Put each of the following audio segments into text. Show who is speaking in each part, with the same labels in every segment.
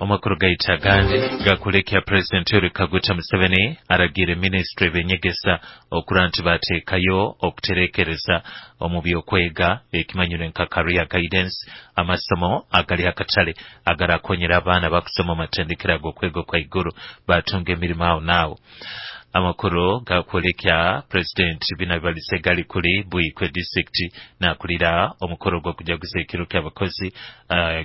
Speaker 1: Amakuru gaitu agandi gakulekya President Yoweri Kaguta Museveni aragiire minisitule ebyenyegesa okura nti bateekayo okuterekereza omu byokwega ekimanyirwe nka career guidance, amasomo agali akatale agarakonyera abaana bakusoma amatendekero ag'okwega okwaiguru batunga emirimo aho naaho. Amakuru gakwolekya President bina bibalize gali kuli Buikwe district nakulira omukoro gw'okujaguza ekiro ky'abakozi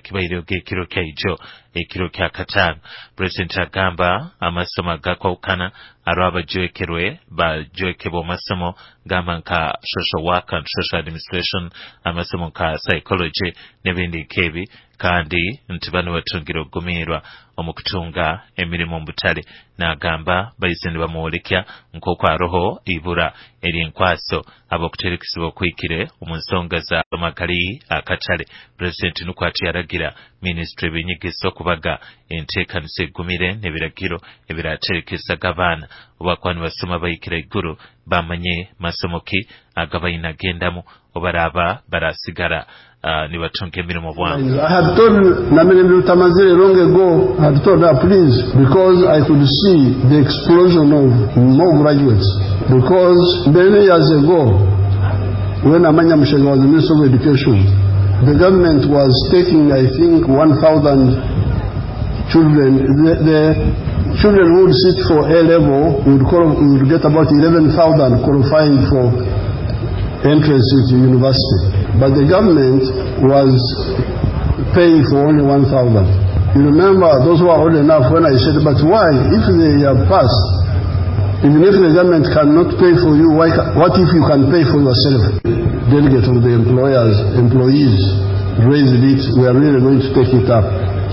Speaker 1: kibaire ekiro kyaijo ekiro kya kataano. President agamba amasomo agakwawukana aro abajwekerwe bajwekebwa amasomo gamba nka social work and social administration, amasomo nka psychology n'ebindi nk'ebi, kandi nti bano batungire okugumiirwa omu kutunga emirimu mu butale. N'agamba baize nibamwolekya nk'oku aroho ibura ery'enkwaso ab'okuterekesebwa okwikire omu nsonga za magali akatale. Pulezidenti nukwo ati yaragira minisitule ebyenyegesa okubaga enteekanisa egumire n'ebiragiro ebiraterekesaga abaana obakuba nibasoma bahikire iguru bamanye masomo ki agabaine agendamu obaraba barasigara nibatunga emirimo bwangu.
Speaker 2: I had told Namirembe Lutamazire long ago, I had told her, please, because I could see the explosion of more graduates. Because many years ago, when Amanya Mushega was the Minister of Education, the government was taking, I think, 1,000 children. The children who would sit for A level would get about 11,000 qualifying for entrance into university. But the government was paying for only 1,000. You remember those who are old enough when I said, but why? If they have passed, even if the government cannot pay for you, why, what if you can pay for yourself? Delegate of the employers, employees raised it, we are really going to take it up.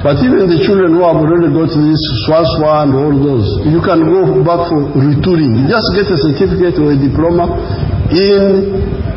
Speaker 2: But even the children who have already got this SWASWA and all those, you can go back for retooling. You just get a certificate or a diploma in